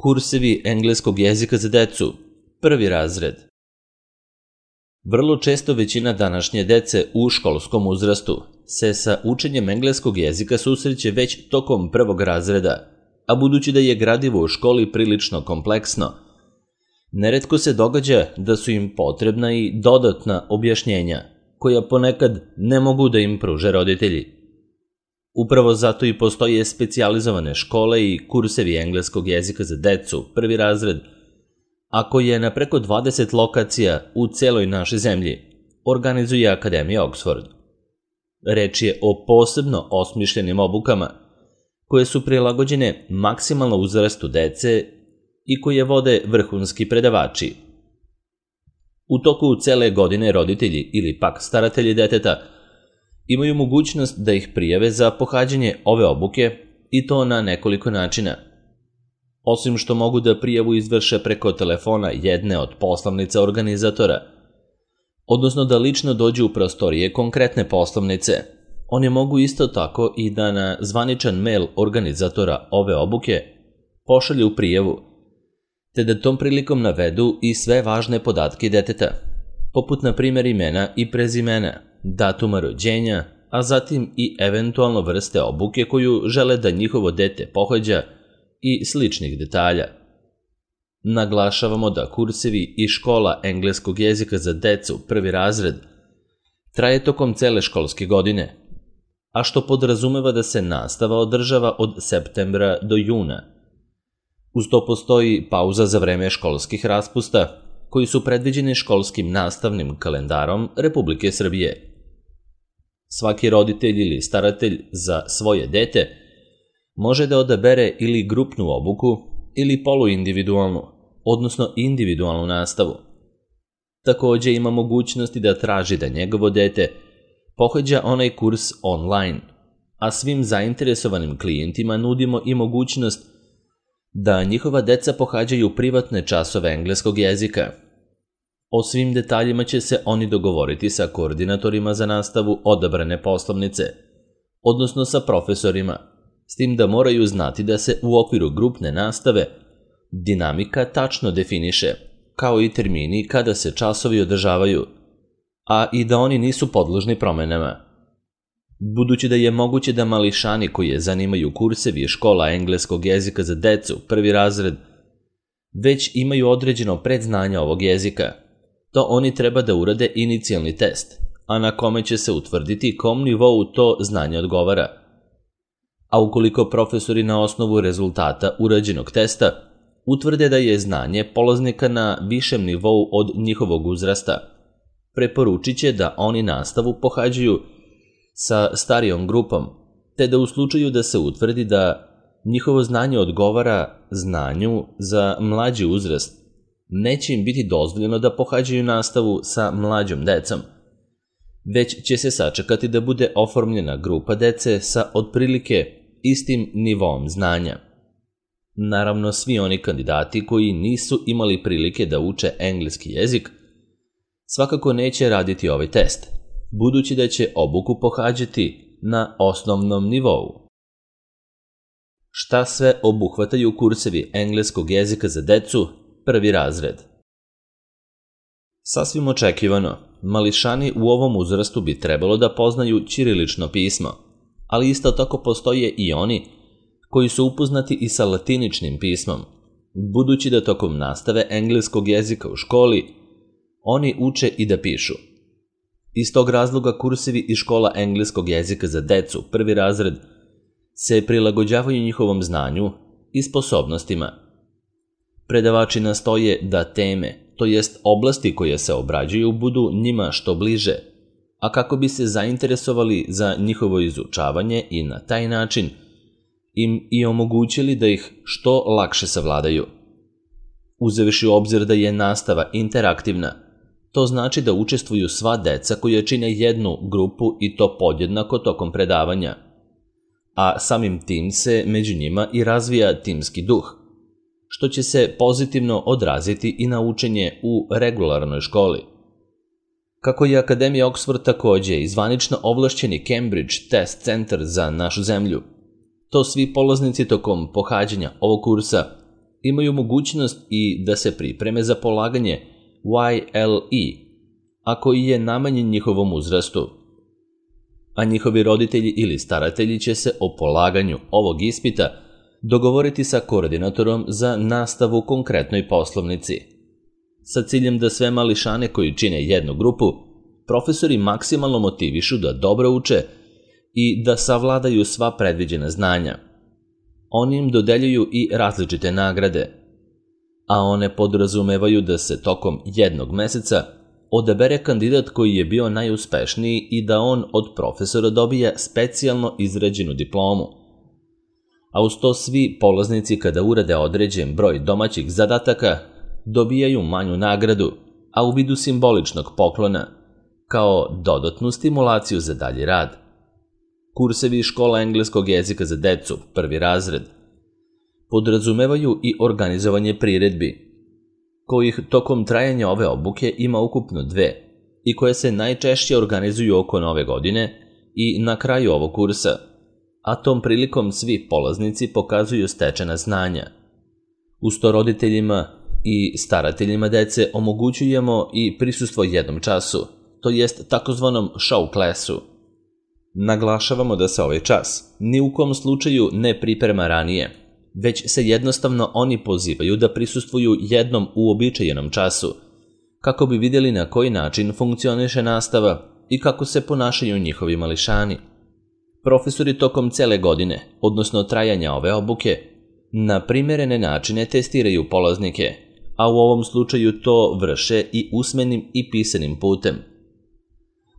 Kursevi engleskog jezika za decu, prvi razred. Vrlo često većina današnje dece u školskom uzrastu se sa učenjem engleskog jezika susreće već tokom prvog razreda, a budući da je gradivo u školi prilično kompleksno, neretko se događa da su im potrebna i dodatna objašnjenja, koja ponekad ne mogu da im pruže roditelji. Upravo zato i postoje specijalizovane škole i kursevi engleskog jezika za decu, prvi razred, a koje na preko 20 lokacija u celoj našoj zemlji organizuje Akademija Oxford. Reč je o posebno osmišljenim obukama koje su prilagođene maksimalno uzrastu dece i koje vode vrhunski predavači. U toku cele godine roditelji ili pak staratelji deteta imaju mogućnost da ih prijave za pohađanje ove obuke i to na nekoliko načina. Osim što mogu da prijavu izvrše preko telefona jedne od poslovnica organizatora, odnosno da lično dođu u prostorije konkretne poslovnice, oni mogu isto tako i da na zvaničan mail organizatora ove obuke pošalju prijavu, te da tom prilikom navedu i sve važne podatke deteta, poput na primjer imena i prezimena, datuma rođenja, a zatim i eventualno vrste obuke koju žele da njihovo dete pohađa i sličnih detalja. Naglašavamo da kursevi i škola engleskog jezika za decu, prvi razred, traje tokom cele školske godine, a što podrazumeva da se nastava održava od septembra do juna. Uz to postoji pauza za vreme školskih raspusta, koji su predviđeni školskim nastavnim kalendarom Republike Srbije. Svaki roditelj ili staratelj za svoje dete može da odabere ili grupnu obuku ili poluindividualnu, odnosno individualnu nastavu. Takođe ima mogućnosti da traži da njegovo dete pohađa onaj kurs online, a svim zainteresovanim klijentima nudimo i mogućnost da njihova deca pohađaju privatne časove engleskog jezika. O svim detaljima će se oni dogovoriti sa koordinatorima za nastavu odabrane poslovnice, odnosno sa profesorima, s tim da moraju znati da se u okviru grupne nastave dinamika tačno definiše, kao i termini kada se časovi održavaju, a i da oni nisu podložni promenama. Budući da je moguće da mališani koje zanimaju kursevi škola engleskog jezika za decu, prvi razred, već imaju određeno predznanje ovog jezika, to oni treba da urade inicijalni test, a na kome će se utvrditi kom nivou to znanje odgovara. A ukoliko profesori na osnovu rezultata urađenog testa utvrde da je znanje polaznika na višem nivou od njihovog uzrasta, preporučit će da oni nastavu pohađaju sa starijom grupom, te da u slučaju da se utvrdi da njihovo znanje odgovara znanju za mlađi uzrast, neće im biti dozvoljeno da pohađaju nastavu sa mlađom decom, već će se sačekati da bude oformljena grupa dece sa otprilike istim nivoom znanja. Naravno, svi oni kandidati koji nisu imali prilike da uče engleski jezik svakako neće raditi ovaj test, budući da će obuku pohađati na osnovnom nivou. Šta sve obuhvataju kursevi engleskog jezika za decu, prvi razred? Sasvim očekivano, mališani u ovom uzrastu bi trebalo da poznaju ćirilično pismo, ali isto tako postoje i oni koji su upoznati i sa latiničnim pismom, budući da tokom nastave engleskog jezika u školi oni uče i da pišu. Iz tog razloga kursevi i škola engleskog jezika za decu, prvi razred, se prilagođavaju njihovom znanju i sposobnostima. Predavači nastoje da teme, to jest oblasti koje se obrađuju, budu njima što bliže, a kako bi se zainteresovali za njihovo izučavanje i na taj način im i omogućili da ih što lakše savladaju. Uzevši u obzir da je nastava interaktivna, to znači da učestvuju sva deca koja čine jednu grupu i to podjednako tokom predavanja, a samim tim se među njima i razvija timski duh, što će se pozitivno odraziti i na učenje u regularnoj školi. Kako je Akademija Oxford takođe i zvanično ovlašćeni Cambridge Test Center za našu zemlju, to svi polaznici tokom pohađanja ovog kursa imaju mogućnost i da se pripreme za polaganje YLE, a koji je namenjen njihovom uzrastu. A njihovi roditelji ili staratelji će se o polaganju ovog ispita dogovoriti sa koordinatorom za nastavu u konkretnoj poslovnici. Sa ciljem da sve mališane koji čine jednu grupu, profesori maksimalno motivišu da dobro uče i da savladaju sva predviđena znanja. Oni im dodeljuju i različite nagrade, a one podrazumevaju da se tokom jednog meseca odabere kandidat koji je bio najuspešniji i da on od profesora dobija specijalno izrađenu diplomu. A uz to svi polaznici kada urade određen broj domaćih zadataka dobijaju manju nagradu, a u vidu simboličnog poklona, kao dodatnu stimulaciju za dalji rad. Kursevi škola engleskog jezika za decu, prvi razred, podrazumevaju i organizovanje priredbi, kojih tokom trajanja ove obuke ima ukupno 2 i koje se najčešće organizuju oko Nove godine i na kraju ovog kursa, a tom prilikom svi polaznici pokazuju stečena znanja. Uz to roditeljima i starateljima dece omogućujemo i prisustvo jednom času, to jest takozvanom show klasu. Naglašavamo da se ovaj čas ni u kom slučaju ne priprema ranije, već se jednostavno oni pozivaju da prisustvuju jednom uobičajenom času, kako bi vidjeli na koji način funkcioniše nastava i kako se ponašaju njihovi mališani. Profesori tokom cele godine, odnosno trajanja ove obuke, na primjerene načine testiraju polaznike, a u ovom slučaju to vrše i usmenim i pisanim putem.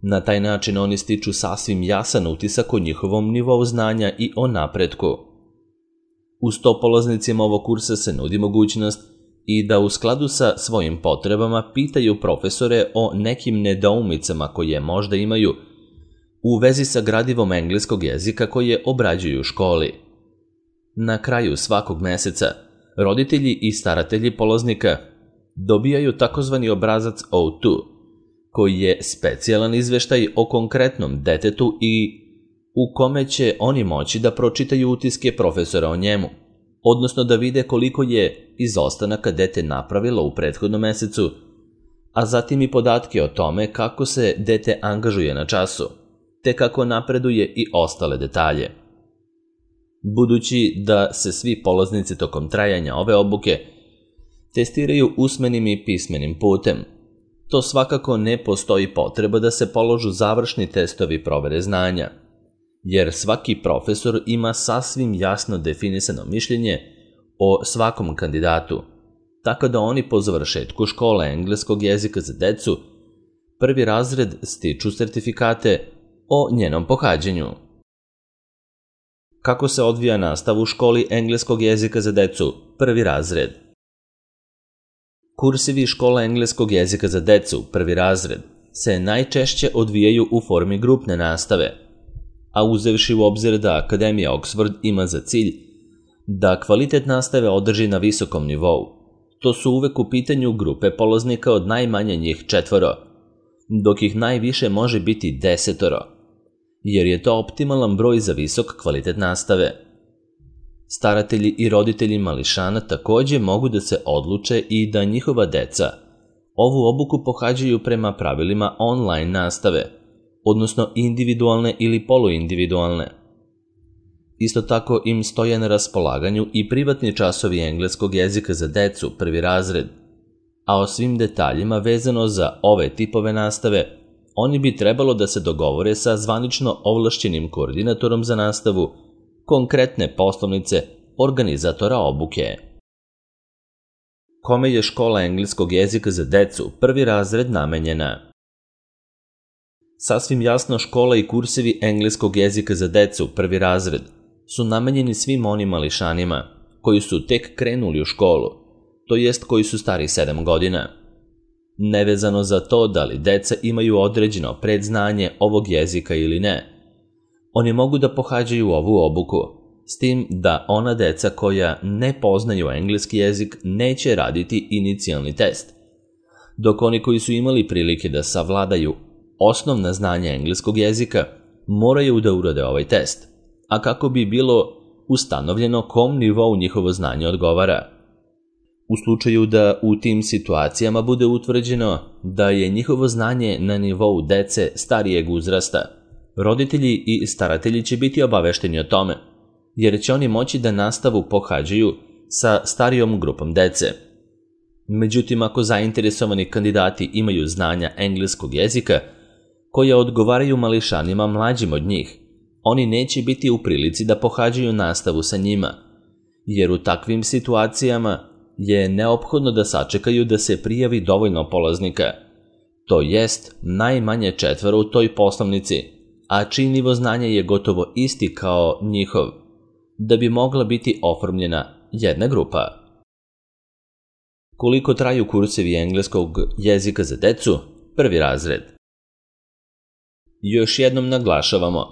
Na taj način oni stiču sasvim jasan utisak o njihovom nivou znanja i o napretku. Uz to polaznicima ovog kursa se nudi mogućnost i da u skladu sa svojim potrebama pitaju profesore o nekim nedoumicama koje možda imaju u vezi sa gradivom engleskog jezika koje obrađuju u školi. Na kraju svakog meseca roditelji i staratelji polaznika dobijaju takozvani obrazac O2, koji je specijalan izveštaj o konkretnom detetu i u kome će oni moći da pročitaju utiske profesora o njemu, odnosno da vide koliko je izostanaka dete napravilo u prethodnom mesecu, a zatim i podatke o tome kako se dete angažuje na času, te kako napreduje i ostale detalje. Budući da se svi polaznici tokom trajanja ove obuke testiraju usmenim i pismenim putem, to svakako ne postoji potreba da se položu završni testovi provere znanja, jer svaki profesor ima sasvim jasno definisano mišljenje o svakom kandidatu, tako da oni po završetku škole engleskog jezika za decu, prvi razred, stiču sertifikate o njenom pohađanju. Kako se odvija nastava u školi engleskog jezika za decu, prvi razred? Kursevi škola engleskog jezika za decu, prvi razred, se najčešće odvijaju u formi grupne nastave, a uzevši u obzir da Akademija Oxford ima za cilj da kvalitet nastave održi na visokom nivou, to su uvek u pitanju grupe polaznika od najmanje njih 4, dok ih najviše može biti 10, jer je to optimalan broj za visok kvalitet nastave. Staratelji i roditelji mališana takođe mogu da se odluče i da njihova deca ovu obuku pohađaju prema pravilima online nastave, odnosno individualne ili poluindividualne. Isto tako im stoje na raspolaganju i privatni časovi engleskog jezika za decu, prvi razred, a o svim detaljima vezano za ove tipove nastave oni bi trebalo da se dogovore sa zvanično ovlašćenim koordinatorom za nastavu konkretne poslovnice organizatora obuke. Kome je škola engleskog jezika za decu, prvi razred, namenjena? Sasvim jasno, škola i kursevi engleskog jezika za decu, prvi razred, su namenjeni svim onim mališanima koji su tek krenuli u školu, to jest koji su stari 7 godina. Nevezano za to da li deca imaju određeno predznanje ovog jezika ili ne, oni mogu da pohađaju ovu obuku, s tim da ona deca koja ne poznaju engleski jezik neće raditi inicijalni test, dok oni koji su imali prilike da savladaju osnovna znanja engleskog jezika moraju da urade ovaj test, a kako bi bilo ustanovljeno kom nivou njihovo znanje odgovara. U slučaju da u tim situacijama bude utvrđeno da je njihovo znanje na nivou dece starijeg uzrasta, roditelji i staratelji će biti obavešteni o tome, jer će oni moći da nastavu pohađaju sa starijom grupom dece. Međutim, ako zainteresovani kandidati imaju znanja engleskog jezika koja odgovaraju mališanima mlađim od njih, oni neće biti u prilici da pohađaju nastavu sa njima, jer u takvim situacijama je neophodno da sačekaju da se prijavi dovoljno polaznika, to jest najmanje 4 u toj poslovnici, a čiji nivo znanja je gotovo isti kao njihov, da bi mogla biti oformljena jedna grupa. Koliko traju kursevi engleskog jezika za decu, 1. razred? Još jednom naglašavamo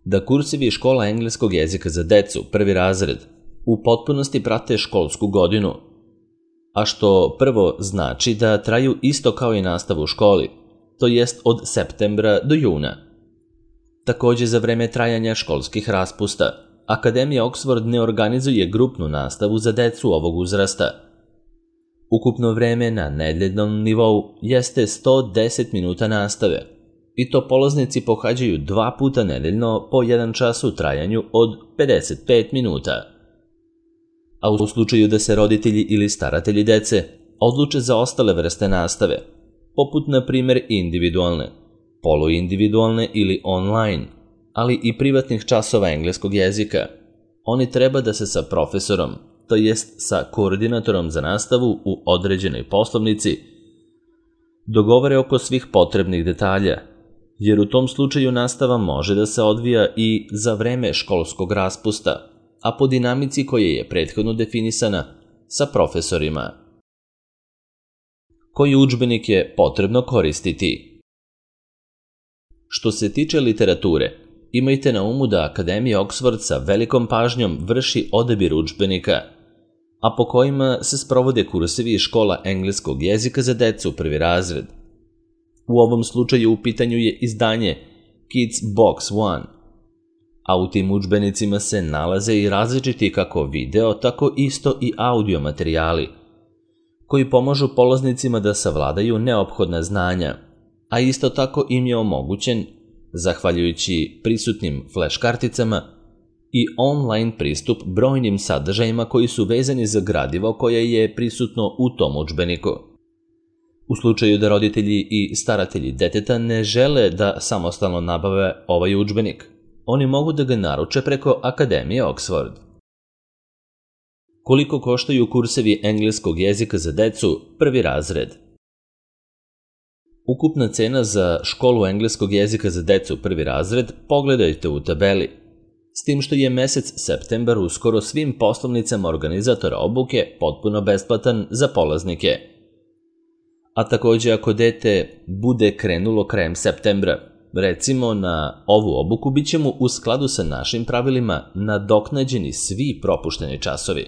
da kursevi škola engleskog jezika za decu, 1. razred, u potpunosti prate školsku godinu, a što prvo znači da traju isto kao i nastavu u školi, to jest od septembra do juna. Takođe, za vreme trajanja školskih raspusta, Akademija Oxford ne organizuje grupnu nastavu za decu ovog uzrasta. Ukupno vreme na nedeljnom nivou jeste 110 minuta nastave, i to polaznici pohađaju 2 puta nedeljno po 1 čas u trajanju od 55 minuta. A u slučaju da se roditelji ili staratelji dece odluče za ostale vrste nastave, poput na primjer individualne, poluindividualne ili online, ali i privatnih časova engleskog jezika, oni treba da se sa profesorom, to jest sa koordinatorom za nastavu u određenoj poslovnici, dogovore oko svih potrebnih detalja, jer u tom slučaju nastava može da se odvija i za vreme školskog raspusta, a po dinamici koja je prethodno definisana sa profesorima. Koji udžbenik je potrebno koristiti? Što se tiče literature, imajte na umu da Akademija Oxford sa velikom pažnjom vrši odabir udžbenika, a po kojima se sprovode kursevi iz škola engleskog jezika za decu, 1. razred. U ovom slučaju u pitanju je izdanje Kids Box One, a u tim udžbenicima se nalaze i različiti kako video, tako isto i audio materijali, koji pomažu polaznicima da savladaju neophodna znanja, a isto tako im je omogućen, zahvaljujući prisutnim flash karticama, i online pristup brojnim sadržajima koji su vezani za gradivo koje je prisutno u tom udžbeniku. U slučaju da roditelji i staratelji deteta ne žele da samostalno nabave ovaj udžbenik, oni mogu da ga naruče preko Akademije Oxford. Koliko koštaju kursevi engleskog jezika za decu, 1. razred? Ukupna cena za školu engleskog jezika za decu, 1. razred, pogledajte u tabeli, s tim što je mesec septembar u skoro svim poslovnicama organizatora obuke potpuno besplatan za polaznike. A takođe, ako dete bude krenulo krajem septembra, recimo na ovu obuku, bit će mu u skladu sa našim pravilima nadoknađeni svi propušteni časovi.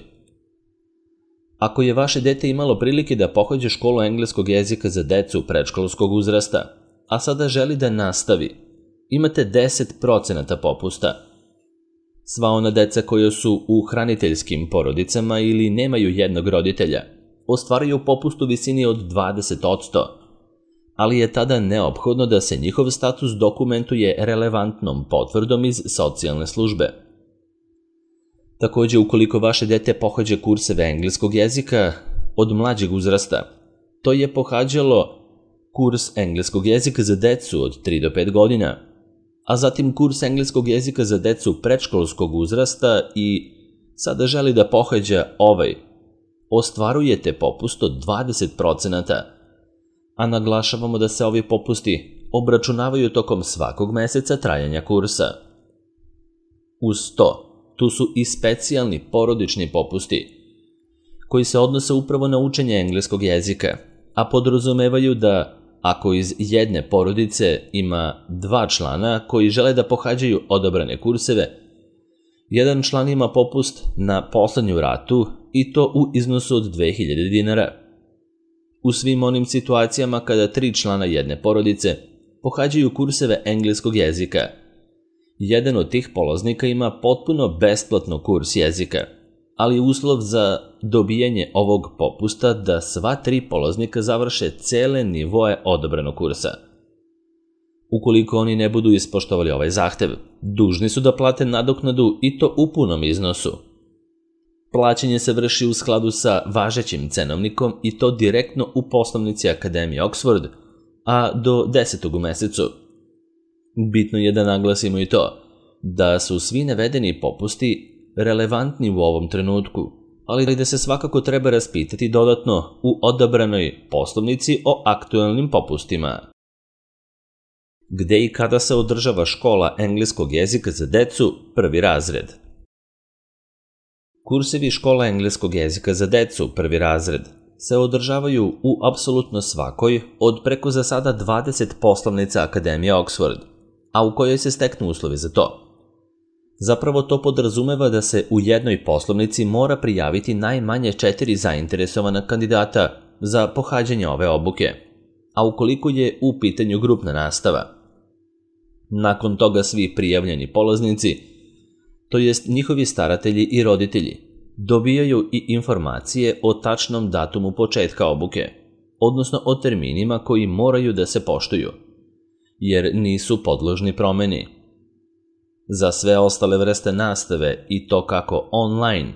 Ako je vaše dete imalo prilike da pohađa školu engleskog jezika za decu predškolskog uzrasta, a sada želi da nastavi, imate 10% popusta. Sva ona deca koja su u hraniteljskim porodicama ili nemaju jednog roditelja, ostvaruju popust u visini od 20%, ali je tada neophodno da se njihov status dokumentuje relevantnom potvrdom iz socijalne službe. Takođe, ukoliko vaše dete pohađa kurseve engleskog jezika od mlađeg uzrasta, to je pohađalo kurs engleskog jezika za decu od 3 do 5 godina, a zatim kurs engleskog jezika za decu predškolskog uzrasta i sada želi da pohađa ovaj, ostvarujete popust od 20%, a naglašavamo da se ovi popusti obračunavaju tokom svakog meseca trajanja kursa. Uz to, tu su i specijalni porodični popusti, koji se odnose upravo na učenje engleskog jezika, a podrazumevaju da ako iz jedne porodice ima 2 člana koji žele da pohađaju odabrane kurseve, jedan član ima popust na poslednju ratu i to u iznosu od 2000 dinara. U svim onim situacijama kada 3 člana jedne porodice pohađaju kurseve engleskog jezika, jedan od tih polaznika ima potpuno besplatno kurs jezika, ali je uslov za dobijanje ovog popusta da sva 3 polaznika završe cele nivoe odobrenog kursa. Ukoliko oni ne budu ispoštovali ovaj zahtev, dužni su da plate nadoknadu i to u punom iznosu. Plaćanje se vrši u skladu sa važećim cenovnikom i to direktno u poslovnici Akademije Oxford, a do 10. u mesecu. Bitno je da naglasimo i to da su svi navedeni popusti relevantni u ovom trenutku, ali da se svakako treba raspitati dodatno u odabranoj poslovnici o aktuelnim popustima. Gde i kada se održava škola engleskog jezika za decu, 1. razred? Kursevi škola engleskog jezika za decu, 1. razred, se održavaju u apsolutno svakoj od preko za sada 20 poslovnica Akademije Oxford, a u kojoj se steknu uslovi za to. Zapravo to podrazumeva da se u jednoj poslovnici mora prijaviti najmanje 4 zainteresovana kandidata za pohađanje ove obuke, a ukoliko je u pitanju grupna nastava. Nakon toga svi prijavljeni polaznici, to jest njihovi staratelji i roditelji, dobijaju i informacije o tačnom datumu početka obuke, odnosno o terminima koji moraju da se poštuju, jer nisu podložni promeni. Za sve ostale vrste nastave i to kako online,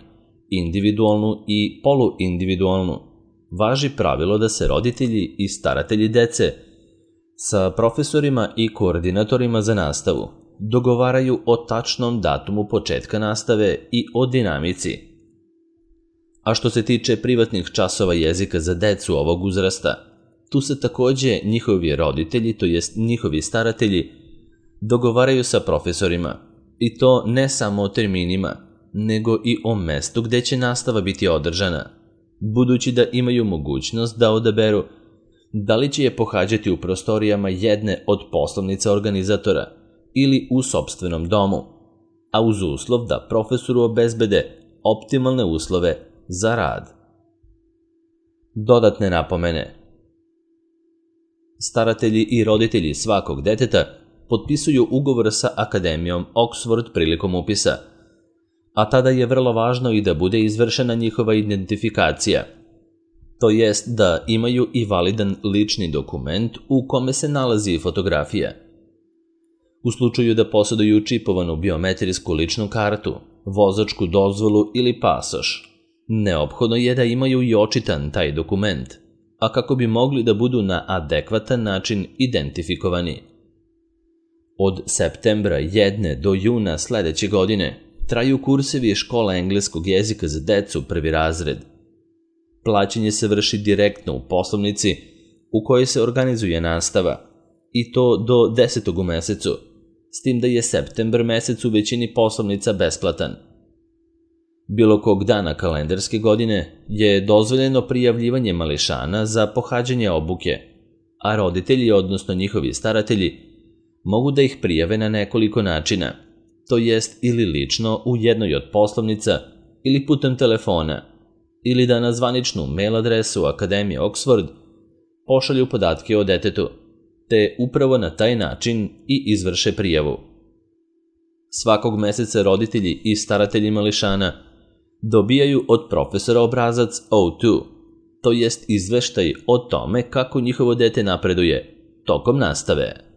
individualnu i poluindividualnu, važi pravilo da se roditelji i staratelji dece sa profesorima i koordinatorima za nastavu dogovaraju o tačnom datumu početka nastave i o dinamici. A što se tiče privatnih časova jezika za decu ovog uzrasta, tu se takođe njihovi roditelji, to jest njihovi staratelji, dogovaraju sa profesorima, i to ne samo o terminima, nego i o mestu gde će nastava biti održana, budući da imaju mogućnost da odaberu da li će je pohađati u prostorijama jedne od poslovnica organizatora ili u sopstvenom domu, a uz uslov da profesoru obezbede optimalne uslove za rad. Dodatne napomene. Staratelji i roditelji svakog deteta potpisuju ugovor sa Akademijom Oxford prilikom upisa, a tada je vrlo važno i da bude izvršena njihova identifikacija, to jest da imaju i validan lični dokument u kome se nalazi fotografija. U slučaju da posjeduju čipovanu biometrijsku ličnu kartu, vozačku dozvolu ili pasoš, neophodno je da imaju i očitan taj dokument, a kako bi mogli da budu na adekvatan način identifikovani. Od septembra 1. do juna sledeće godine traju kursevi škola engleskog jezika za decu 1. razred. Plaćanje se vrši direktno u poslovnici u kojoj se organizuje nastava, i to do 10. u mesecu, s tim da je septembar mesec u većini poslovnica besplatan. Bilo kog dana kalendarske godine je dozvoljeno prijavljivanje mališana za pohađanje obuke, a roditelji, odnosno njihovi staratelji, mogu da ih prijave na nekoliko načina, to jest ili lično u jednoj od poslovnica ili putem telefona, ili da na zvaničnu mail adresu Akademije Oxford pošalju podatke o detetu, te upravo na taj način i izvrše prijavu. Svakog meseca roditelji i staratelji mališana dobijaju od profesora obrazac O2, to jest izveštaj o tome kako njihovo dete napreduje tokom nastave.